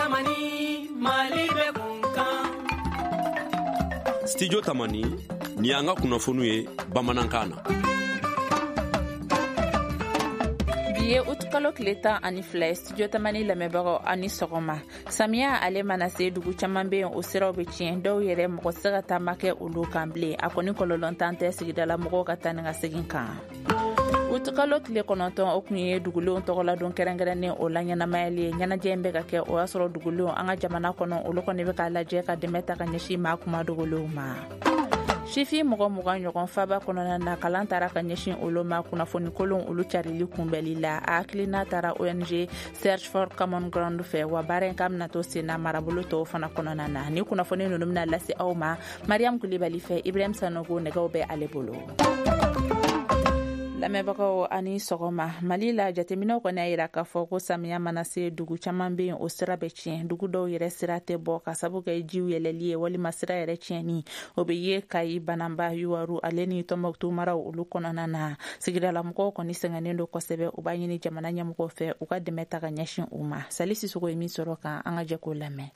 Tamani, Mali bɛ kun kan. Studio Tamani, nin y'an ka kunnafoniw ye bamanankan na. Bi ye utukalo tile 12 ye. Studio Tamani lamɛnbagaw, aw ni sɔgɔma. Samiya ale mana se, dugu caman bɛ yen, o siraw bɛ tiɲɛ. Dɔw yɛrɛ, mɔgɔ tɛ se ka taama kɛ olu kan bilen. A kɔni kɔlɔlɔntan tɛ sigidala mɔgɔw ka taa ni ka segin kan. Utukalo tile 9, o kun ye dugulenw tɔgɔladon kɛrɛnkɛrɛnnen o la ɲɛnamayali ye. Ɲɛnajɛ in bɛ ka kɛ, o y'a sɔrɔ dugulenw an ka jamana kɔnɔ, olu kɔni bɛ k'a lajɛ ka dɛmɛ ta ka ɲɛsin maa kuma dogolenw ma. Sifin mɔgɔ 20 ɲɔgɔn faba kɔnɔna na, kalan taara ka ɲɛsin olu ma kunnafoni kolon olu carili kunbɛli la. A hakilina taara ONG Search for Common Ground fɛ, wa baara in k'a bɛna to sen na marabolo tɔw fana kɔnɔna na. Ni kunnafoni ninnu bɛna lase aw ma Mariam Kulibali fɛ. Ibrahim Sanogo nɛgɛw bɛ ale bolo. Lamɛnbagaw, ani sɔgɔma. Mali la, jateminɛw kɔni y'a yira k'a fɔ ko samiya mana se, dugu caman bɛ yen, o sira bɛ tiɲɛ. Dugu dɔw yɛrɛ sira tɛ bɔ ka sabu kɛ jiw yɛlɛli ye walima sira yɛrɛ tiɲɛni. O bɛ ye Kayi, Bananba, Yuwaru ale ni Tɔnbɔkutu maraw olu kɔnɔna na. Sigidalamɔgɔw kɔni sɛgɛnnen don kosɛbɛ. U b'a ɲini jamana ɲɛmɔgɔw fɛ, u ka dɛmɛ ta ka ɲɛsin u ma. Sali Sisoko ye min sɔrɔ kan, an ka jɛ k'o lamɛn.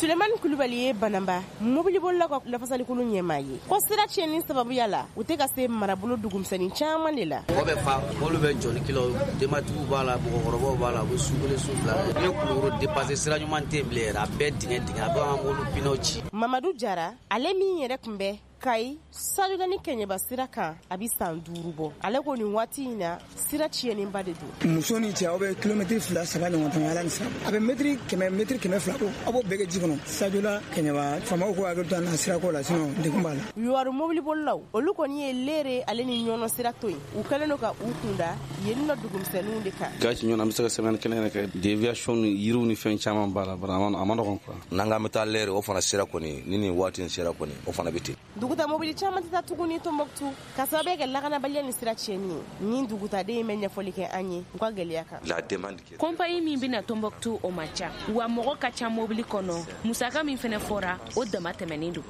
Sulemani Kulubali ye Bananba mobilibolila ka lafasalikulu ɲɛmaa ye. Ko sira tiɲɛni sababuya la, u tɛ ka se marabolo dugumisɛnnin caman de la. Mɔgɔ bɛ fa, mɔbili bɛ jɔ ni kilaw, denbatigiw b'a la, mɔgɔkɔrɔbaw b'a la, u bɛ su kelen, su fila. Ne Kulukoro dépassé, sira ɲuman tɛ yen bilen yɛrɛ, a bɛɛ dingɛ dingɛ, a bɛ an ka mobili pinɛw ci. Mamadu Jara, ale min yɛrɛ tun bɛ Kayi Sajola ni Kɛɲɛba sira kan, a bɛ san 5 bɔ. Ale ko nin waati in na, sira tiɲɛnenba de don. Muso ni cɛ, aw bɛ kilomɛtiri 2, 3 ɲɔgɔn tɛmɛ ala ni sira. A bɛ mɛtiri 100, mɛtiri 200 bɔ, aw b'o bɛɛ kɛ ji kɔnɔ. Sajola Kɛɲɛba, faamaw k'u hakili to an na sirako la, sinon degun b'a la. Yuwaru mobilibolilaw, olu kɔni ye Lere ale ni Ɲɔnɔ sira to yen. U kɛlen don ka u kunda yen nɔ dugumisɛnninw de kan. Gasi ɲɔgɔn, an bɛ se ka semaine kelen yɛrɛ kɛ. Déviation ni yiriw ni fɛn caman b'a la, vraiment a ma nɔgɔn quoi. N'an k'an bɛ taa Lere, o fana sira kɔni, ni nin waati in sera kɔni, o fana bɛ ten. Duguta mobili caman tɛ taa tuguni Tɔnbɔkutu ka sababu kɛ lakanabaliya ni sira tiɲɛni ye. Ni dugutaden in bɛ ɲɛfɔli kɛ an ye u ka gɛlɛya kan. La demande qui est Compagnie min bɛna Tɔnbɔkutu, o man ca, wa mɔgɔ ka ca mobili kɔnɔ. Musaka min fɛnɛ fɔra, o dama tɛmɛnen don.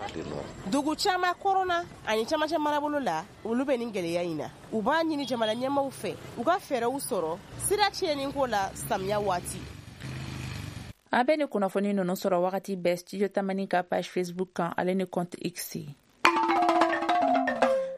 Dugu caman kɔrɔnna ani camancɛ marabolo la, olu bɛ nin gɛlɛya in na. U b'a ɲini jamana ɲɛmaaw fɛ, u ka fɛɛrɛw sɔrɔ sira tiɲɛni ko la samiya waati. An bɛ ni kunnafoni ninnu sɔrɔ wagati bɛɛ Studio Tamani ka page Facebook kan ale ni compte X.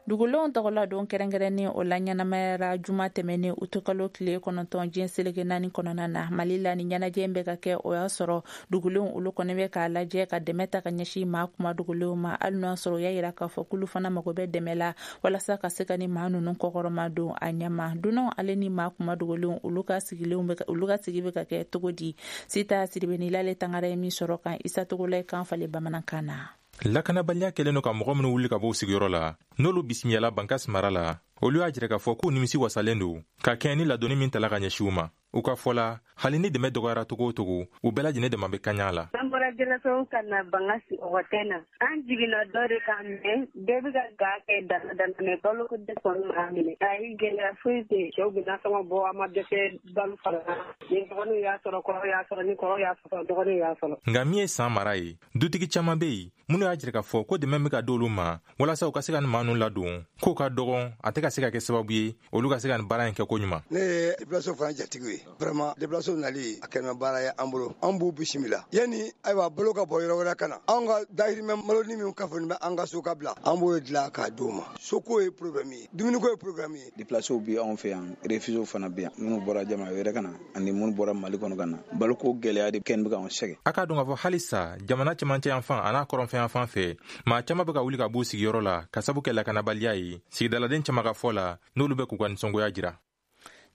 Dugulenw tɔgɔla don kɛrɛnkɛrɛnnen o la ɲɛnamayara juma tɛmɛnen utukalo tile 9 diɲɛ seleke naani kɔnɔna na Mali la. Ni ɲɛnajɛ bɛ ka kɛ, o y'a sɔrɔ dugulenw olu kɔni bɛ k'a lajɛ ka dɛmɛ ta ka ɲɛsin maa kuma dogolenw ma, hali n'o y'a sɔrɔ u y'a yira k'a fɔ k'olu fana mago bɛ dɛmɛ la walasa ka se ka ni maa ninnu kɔkɔrɔma don a ɲɛma. Dunanw ale ni maa kuma dogolenw, olu ka sigilenw bɛ, olu ka sigi bɛ ka kɛ cogo di? Sita Siribenilale Tangara ye min sɔrɔ kan, Isa Togola ye kan falen bamanankan na. Lakanabaliya kɛlen don ka mɔgɔ minnu wuli ka bɔ u sigiyɔrɔ la, n'olu bisimiyala Bankas mara la, olu y'a jira k'a fɔ k'u nimisi wasalen don ka kɛɲɛ ni ladonni min tala ka ɲɛsin u ma. U ka fɔ la, hali ni dɛmɛ dɔgɔyara togo o togo, u bɛɛ lajɛlen dama bɛ kaɲa la. An bɔra Jɛlɛsɔn ka na Bankasi ɔgɔtɛ na. An jiginna dɔ de kan, mɛ bɛɛ bɛ ka ga kɛ dana dana, mɛ balo ko dɛsɛ kɔni m'a minɛ. Ayi, gɛlɛya foyi tɛ yen. Cɛw bɛ nasɔngɔ bɔ, an ma dɛsɛ balo fana. Ni dɔgɔninw y'a sɔrɔ, kɔrɔw y'a sɔrɔ, ni kɔrɔw y'a sɔrɔ, dɔgɔninw y'a sɔrɔ. Nka min ye san mara ye, dutigi caman bɛ yen minnu y'a jira k'a fɔ ko dɛmɛ bɛ ka d'olu ma walasa u ka se ka nin maa ninnu ladon, k'o ka dɔgɔn, a tɛ ka se ka kɛ sababu ye olu ka se ka nin baara in kɛ ko ɲuman. Ne ye déplacé fana jatigi ye. Vraiment, déplacé nali a kɛra baara ye an bolo. An b'u bisimila yanni ayiwa balo ka bɔ yɔrɔ wɛrɛ ka na. Anw ka dahirimɛ maloni min kafoni bɛ an ka so ka bila, an b'o dilan k'a d'u ma. Soko ye problème ye, dumuniko ye problème ye. Déplacéw bɛ anw fɛ yan, réfugiés fana bɛ yan, minnu bɔra jamana wɛrɛ ka na ani minnu bɔra Mali kɔnɔ ka na. Baloko gɛlɛya de kɛn bɛ k'anw sɛgɛn. A k'a dɔn k'a fɔ halisa jamana cɛmancɛ yan fan an'a kɔrɔnfɛ yan fan fɛ, maa caman bɛ ka wuli ka b'u sigiyɔrɔ la ka sabu kɛ lakanabaliya ye. Sigidaladen caman ka fɔ la, n'olu bɛ k'u ka nisɔngoya jira.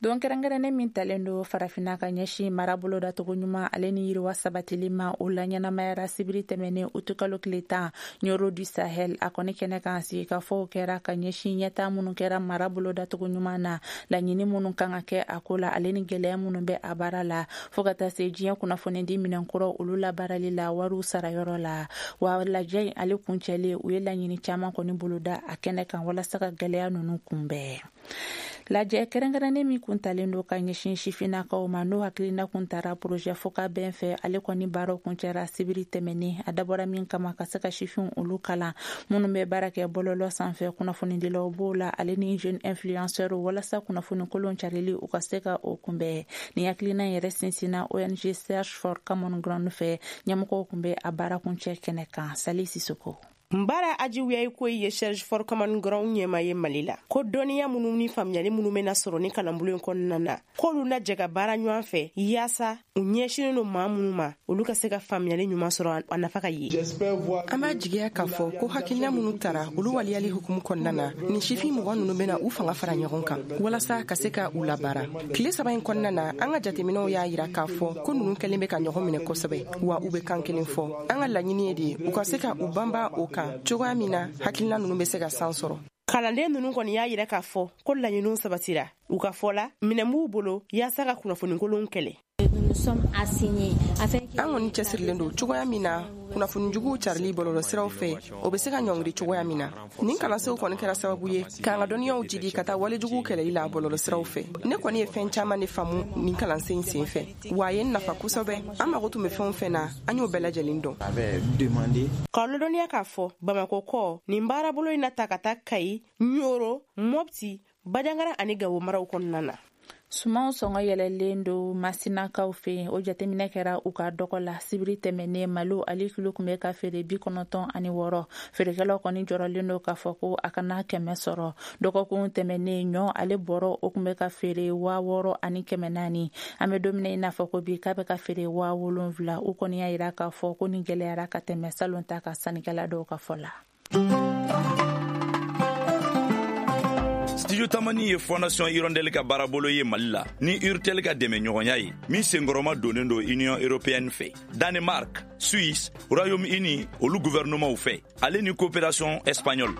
Don kɛrɛnkɛrɛnnen min talen don Farafinna ka ɲɛsin mara bolodacogo ɲuman ale ni yiriwa sabatili ma, o la ɲɛnamayara sibiri tɛmɛnen utukalo tile 10 Ɲɔrɔ du Sahel. A kɔni kɛnɛ kan, sigikafɔw kɛra ka ɲɛsin ɲɛta minnu kɛra mara bolodacogo ɲuman na, laɲini minnu kan ka kɛ a ko la ale ni gɛlɛya minnu bɛ a baara la, fɔɔ ka taa se diɲɛ kunnafonidi minɛnkuraw olu labaarali la wariw sarayɔrɔ la. Wa lajɛ in ale kuncɛlen, u ye laɲini caman kɔni boloda a kɛnɛ kan walasa ka gɛlɛya ninnu kunbɛn. Lajɛ kɛrɛnkɛrɛnnen min kun talen don ka ɲɛsin sifinnakaw ma, n'o hakilina kun tara projet fɔkabɛn fɛ, ale kɔni baaraw kuncɛra sibiri tɛmɛnen. A dabɔra min kama, ka se ka sifinw olu kalan, minnu bɛ baara kɛ bɔlɔlɔ sanfɛ, kunnafonidilaw b'o la, ale ni jeune influenceur, walasa kunnafoni kolon carili, u ka se ka o kunbɛn. Nin hakilina yɛrɛ sinsinna ONG Search for Common Ground fɛ. Ɲɛmɔgɔw kun bɛ a baara kuncɛ kɛnɛ kan. Sali Sisoko. Nbara Ajiwiyayi ko ye Search for Common Ground ɲɛma ye Mali la, ko dɔnniya minnu ni faamuyali minnu bɛna sɔrɔ ni kalanbolo in kɔnɔna na, k'olu na jɛ ka baara ɲɔgɔn fɛ yaasa u ɲɛsinen don maa minnu ma, olu ka se ka faamuyali ɲuman sɔrɔ, a nafa ka ye. An b'a jigiya k'a fɔ ko hakilina minnu tara, olu waliyali hukumu kɔnɔna na, nin sifin 20 ninnu bɛna u fanga fara ɲɔgɔn kan walasa ka se ka u labaara. Tile 3 in kɔnɔna na, an ka jateminɛw y'a yira k'a fɔ ko ninnu kɛlen bɛ ka ɲɔgɔn minɛ kosɛbɛ, wa u bɛ kan kelen fɔ. An ka laɲini ye de u ka se ka u banba o kan cogoya min na hakilina ninnu bɛ se ka san sɔrɔ. Kalanden ninnu kɔni y'a yira k'a fɔ ko laɲiniw sabatira. U ka fɔ la, minɛn b'u bolo yaasa ka kunnafonikolonw kɛlɛ. An kɔni cɛsirilen don cogoya min na kunnafonijuguw carili bɔlɔlɔsiraw fɛ, o bɛ se ka ɲɔngiri cogoya min na. Nin kalansenw kɔni kɛra sababu ye k'an ka dɔnniyaw jidi ka taa walejuguw kɛlɛli la bɔlɔlɔsiraw fɛ. Ne kɔni ye fɛn caman de faamu nin kalansen in sen fɛ, wa a ye n nafa kosɛbɛ. An mago tun bɛ fɛn o fɛn na, an y'o bɛɛ lajɛlen dɔn. K'aw ladɔnniya k'a fɔ Bamako kɔ, nin baarabolo in na ta ka taa Kayi, Ɲoro, Mɔpti, Bajangara ani Gawo maraw kɔnɔna na. Sumanw sɔngɔ yɛlɛlen don Masinakaw fɛ yen. O jateminɛ kɛra u ka dɔgɔ la sibiri tɛmɛnen. Malo, ale kilo tun bɛ ka feere 96. Feerekɛlaw kɔni jɔrɔlen don k'a fɔ ko a kana 100 sɔrɔ. Dɔgɔkun tɛmɛnen, ɲɔ, ale bɔrɔ, o tun bɛ ka feere 6400. An bɛ don min na i n'a fɔ ko bi, k'a bɛ ka feere 7000. U kɔni y'a yira k'a fɔ ko nin gɛlɛyara ka tɛmɛ salon ta ka, sannikɛla dɔw ka fɔ la. Studio Tamani ye Fondation Hirondelle ka baarabolo ye Mali la ni Urtel ka dɛmɛ ɲɔgɔnya ye, min senkɔrɔma donnen don Union européenne fɛ, Danemark, Suisse, Royaume-Uni, olu gouvernementw fɛ, ale ni coopération espagnole.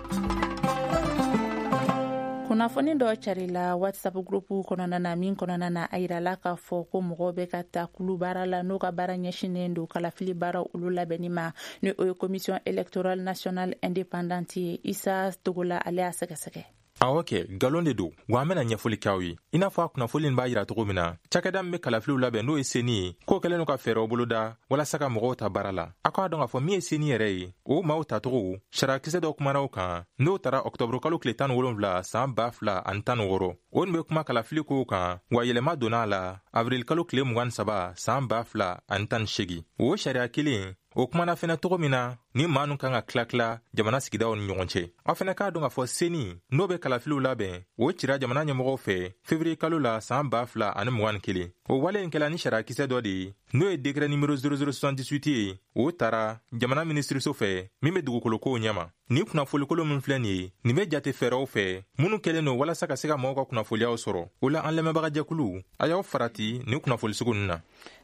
Kunnafoni dɔ carila WhatsApp groupe kɔnɔna na, min kɔnɔna na a yirala k'a fɔ ko mɔgɔw bɛ ka ta kulu baara la, n'o ka baara ɲɛsinnen don kalafili baara olu labɛnni ma, ni o ye Commission électorale nationale indépendante ye. Isa Togola, ale y'a sɛgɛsɛgɛ. Awɔ kɛ, nkalon de don, wa an bɛna ɲɛfɔli kɛ aw ye. I n'a fɔ a kunnafoni nin b'a yira cogo min na, cakɛda min bɛ kalafiliw labɛn, n'o ye CENI ye, k'o kɛlen don ka fɛɛrɛw boloda walasa ka mɔgɔw ta baara la. A k'a dɔn k'a fɔ min ye CENI yɛrɛ ye, o maaw tacogo sariyakisɛ dɔ kumana o kan, n'o tara ɔktɔburu kalo tile 17 san 2016. O nin bɛ kuma kalafili kow kan, wa yɛlɛma donna a la avril kalo tile 23 san 2018. O sariya kelen o kumana fɛnɛ cogo min na ni maa nu kan ka tila-tila jamana sigidaw ni ɲɔgɔn cɛ. Aw fɛnɛ k'a dɔn k'a fɔ CENI, n'o bɛ kalafiliw labɛn, o cira jamana ɲɛmɔgɔw fɛ fevrier kalo la san 2021. O wale in kɛla ni sariyakisɛ dɔ de ye, n'o ye décret numéro 0078 ye, o tara jamana minisiriso fɛ min bɛ dugukolokow ɲɛma. Nin kunnafolikolo min filɛ nin ye, nin bɛ jate fɛɛrɛw fɛ minnu kɛlen don walasa ka se ka mɔgɔw ka kunnafoliyaw sɔrɔ. O la, an lamɛnbagajɛkulu, a y'aw farati nin kunnafoli sugu ninnu na.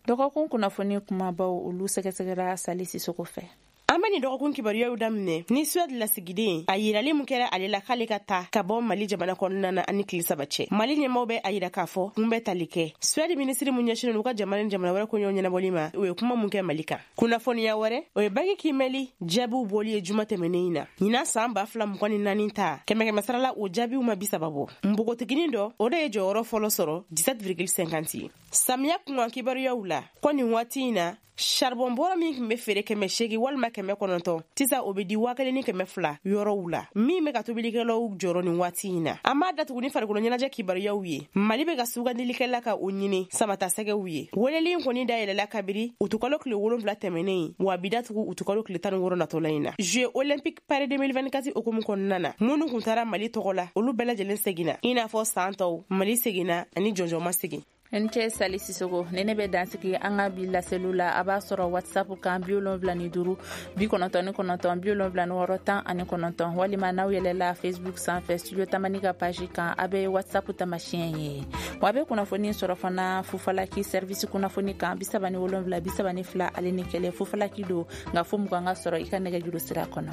Dɔgɔkun kunnafoni kumabaw, olu sɛgɛsɛgɛra Sali Sisoko fɛ. An bɛ nin dɔgɔkun kibaruyaw daminɛ ni Suède lasigiden, a yirali mun kɛra ale la k'ale ka taa ka bɔ Mali jamana kɔnɔna na ani tile 3 cɛ. Mali ɲɛmaw bɛ a yira k'a fɔ kun bɛ tali kɛ Suède minisiri mun ɲɛsinnen u ka jamana ni jamana wɛrɛ koɲɛw ɲɛnabɔli ma, o ye kuma mun kɛ Mali kan. Kunnafoniya wɛrɛ, o ye baki kiimɛli jaabiw bɔli ye juma tɛmɛnen in na. Ɲinan san 2024 ta, kɛmɛ kɛmɛ sarala, o jaabiw ma 30 bɔ. Npogotiginin dɔ, o de ye jɔyɔrɔ fɔlɔ sɔrɔ, 17,50 ye. Samiya kunkan kibaruyaw la, ko nin waati in na, charbon bɔrɔ min tun bɛ feere 800 walima 900, sisan o bɛ di 1200 yɔrɔw la, min bɛ ka tobilikɛlaw jɔrɔ nin waati in na. An b'a datugu ni farikolo ɲɛnajɛ kibaruyaw ye. Mali bɛ ka sugandilikɛla ka o ɲini samatasɛgɛw ye. Weleli in kɔni dayɛlɛla kabiri utukalo tile 7 tɛmɛnen, wa bi datugu utukalo tile 16 natɔla in na. Jeux olympique Paris 2024 hukumu kɔnɔna na, minnu tun taara Mali tɔgɔ la, olu bɛɛ lajɛlen seginna. I n'a fɔ san tɔw, Mali seginna ani jɔnjɔn ma segin. N cɛ Sali Sisoko, ni ne bɛ dansigi an ka bi laseliw la. A b'a sɔrɔ WhatsApp kan 75 99 76 19, walima n'aw yɛlɛla Facebook sanfɛ, Studio Tamani ka page kan, a bɛ WhatsApp tamasiyɛn ye. Wa a bɛ kunnafoni sɔrɔ fana Fufalaki service kunnafoni kan, 37 32 ale ni 1. Fufalaki don, nka fo 20 ka sɔrɔ i ka nɛgɛjuru sira kɔnɔ.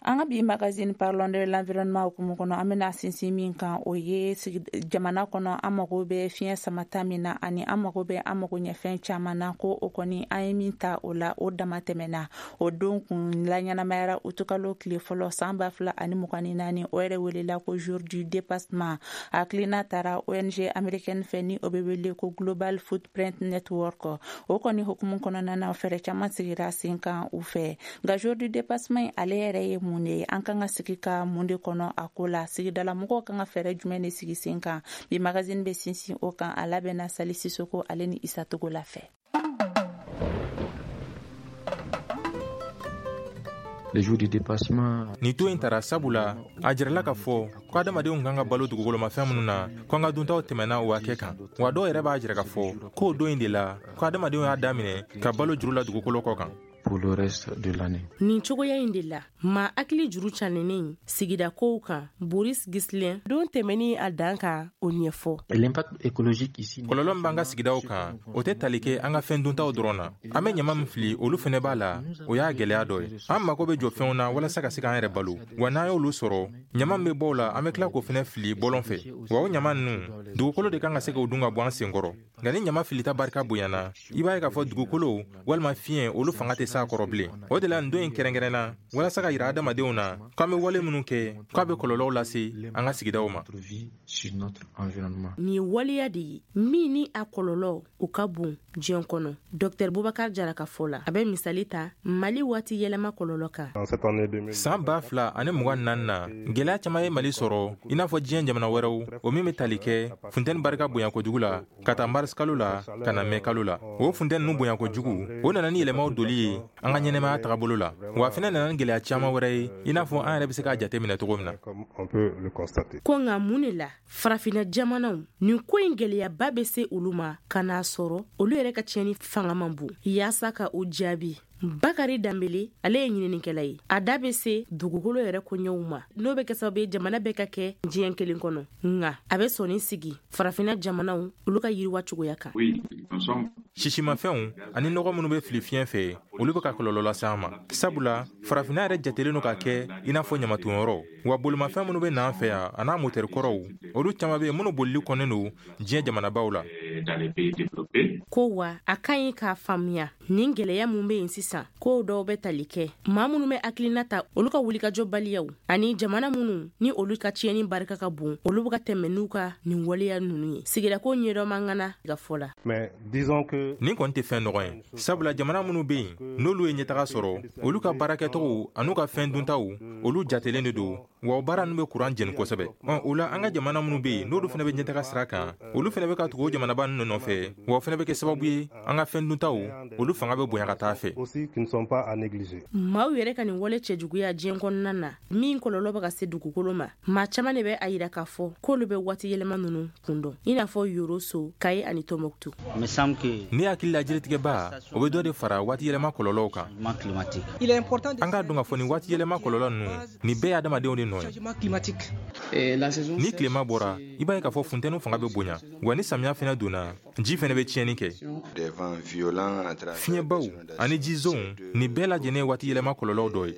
An An ka bi magazine Parlons de l'environnement hukumu kɔnɔ, an bɛna sinsin min kan, o ye jamana kɔnɔ an mago bɛ fiɲɛ samata min na, ani an mago bɛ an mago ɲɛfɛn caman na, ko o kɔni an ye min ta o la, o dama tɛmɛna. O don kun laɲɛnamayara utukalo tile fɔlɔ san 2024, o yɛrɛ welela ko jour du dépassement. Hakilina taara ONG américaine fɛ ni o bɛ wele ko Global Footprint Network. O kɔni hukumu kɔnɔna na, fɛɛrɛ caman sigira sen kan u fɛ. Nka jour du dépassement ale yɛrɛ ye mun de ye? An kan ka sigi ka mun de kɔnɔ a ko la? Sigidala mɔgɔw kan ka fɛɛrɛ jumɛn de sigi sen kan? Bi magazine bɛ sinsin o kan. A labɛnna Sali Sisoko ale ni Isa Togola fɛ. Nin to in tara sabula a jirala k'a fɔ ko adamadenw kan ka balo dugukolomafɛn minnu na, ko an ka duntaw tɛmɛna o hakɛ kan. Wa dɔw yɛrɛ b'a jira k'a fɔ k'o don in de la ko adamadenw y'a daminɛ ka balo juru la dugukolo kɔ kan. Pour le reste de l'année. Nin cogoya in de la, maa hakili juru canenen sigida kow kan, Boris Gislin, don tɛmɛni a dan kan, o ɲɛfɔ. L'impact écologique ici. Kɔlɔlɔ min b'an ka sigidaw kan, o tɛ tali kɛ an ka fɛn duntaw dɔrɔn na. An bɛ ɲama min fili, olu fɛnɛ b'a la, o y'a gɛlɛya dɔ ye. An mago bɛ jɔ fɛnw na walasa ka se k'an yɛrɛ balo. Wa n'an y'olu sɔrɔ, ɲama min bɛ bɔ o la, an bɛ tila k'o fɛnɛ fili bɔlɔn fɛ. Wa o ɲama ninnu, dugukolo de kan ka se k'o dun ka bɔ an senkɔrɔ. Nka ni ɲama filita barika bonyana, i b'a ye k'a fɔ dugukolo walima fiɲɛ, olu fanga tɛ s'a kɔrɔ bilen. O de la nin don in kɛrɛnkɛrɛnna walasa ka yira adamadenw na k'an bɛ wale minnu kɛ, k'a bɛ kɔlɔlɔw lase an ka sigidaw ma. Nin ye waleya de ye min ni a kɔlɔlɔ o ka bon diɲɛ kɔnɔ. Dr Bubakar Jara ka fɔ la, a bɛ misali ta Mali waati yɛlɛma kɔlɔlɔ kan. San 2024 na, gɛlɛya caman ye Mali sɔrɔ, i n'a fɔ diɲɛ jamana wɛrɛw, o min bɛ tali kɛ funteni barika bonya kojugu la ka taa mars kalo la ka na mɛ kalo la. O funteni ninnu bonya kojugu, o nana ni yɛlɛmaw doli ye an ka ɲɛnɛmaya tagabolo la. Wa fɛnɛ nana ni gɛlɛya caman wɛrɛ ye, i n'a fɔ an yɛrɛ bɛ se k'a jate minɛ cogo min na. Ko nka mun de la farafinna jamanaw nin ko in gɛlɛyaba bɛ se olu ma ka n'a sɔrɔ olu yɛrɛ ka tiɲɛni fanga man bon? Yaasa ka o jaabi, Bakari Danbele, ale ye ɲininikɛla ye, a da bɛ se dugukolo yɛrɛ koɲɛw ma, n'o bɛ kɛ sababu ye jamana bɛɛ ka kɛ diɲɛ kelen kɔnɔ. Nka a bɛ sɔnni sigi farafinna jamanaw olu ka yiriwa cogoya kan. Sisimafɛnw ani nɔgɔ minnu bɛ fili fiɲɛ fɛ, olu bɛ ka kɔlɔlɔ lase an ma, sabula farafinna yɛrɛ jatelen don ka kɛ i n'a fɔ ɲamatonyɔrɔ. Wa bolimafɛn minnu bɛ na an fɛ yan a n'a motɛri kɔrɔw, olu caman bɛ yen minnu bolili kɔnnen don diɲɛ jamanabaw la. Ko wa a ka ɲi k'a faamuya nin gɛlɛya mun bɛ yen sisan, kow dɔw bɛ tali kɛ maa minnu bɛ hakilina ta, olu ka wulikajɔ baliyaw, ani jamana minnu ni olu ka tiɲɛni barika ka bon, olu bɛ ka tɛmɛ n'u ka nin waleya ninnu ye. Sigidako ɲɛdɔn man ŋana ka fɔ la. Nin kɔni tɛ fɛn nɔgɔ ye, sabula jamana minnu bɛ yen n'olu ye ɲɛtaga sɔrɔ, olu ka baarakɛcogo an'u ka fɛn duntaw, olu jatelen de don, wa o baara ninnu bɛ kuran jeni kosɛbɛ. O la an ka jamana minnu bɛ yen n'olu fana bɛ ɲɛtaga sira kan, olu fana bɛ ka tugu o jamanaba ninnu nɔfɛ, wa o fana bɛ kɛ sababu ye an ka fɛn duntaw olu fanga bɛ bonya ka taa fɛ. Maaw yɛrɛ ka nin wale cɛjuguya diɲɛ kɔnɔna na min kɔlɔlɔ bɛ ka se dugukolo ma, maa caman de bɛ a yira k'a fɔ k'olu bɛ waati yɛlɛma ninnu kun dɔn, i n'a fɔ Yoroso, Kaye ani Tɔnbɔkutu. Ne hakili la jiritigɛba, o bɛ dɔ de fara waati yɛlɛma kɔlɔlɔw kan. An k'a dɔn k'a fɔ nin waati yɛlɛma kɔlɔlɔ ninnu, nin bɛɛ ye adamadenw de nɔ ye. Ni tilema bɔra, i b'a ye k'a fɔ funteni fanga bɛ bonya, wa ni samiya fɛnɛ donna, ji fɛnɛ bɛ tiɲɛni kɛ. Fiɲɛbaw ani jizonw, nin bɛɛ lajɛlen ye waati yɛlɛma kɔlɔlɔw dɔ ye.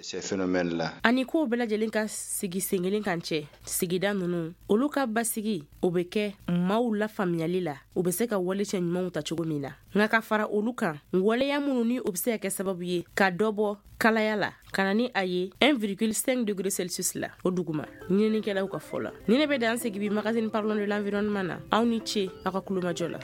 Ani kow bɛɛ lajɛlen ka sigi sen kelen kan cɛ, sigida ninnu olu ka basigi o bɛ kɛ maaw lafaamuyali la, u bɛ se ka wale cɛ ɲumanw ta cogo min na. Nka ka fara olu kan, waleya minnu ni o bɛ se ka kɛ sababu ye ka dɔ bɔ kalaya la, ka na ni a ye 1,5 degré Celsius la o duguma, ɲininikɛlaw ka fɔ la. Ni ne bɛ dan sigi bi magazine Parlons de l'environnement na. Aw ni ce aw ka kulomajɔ la.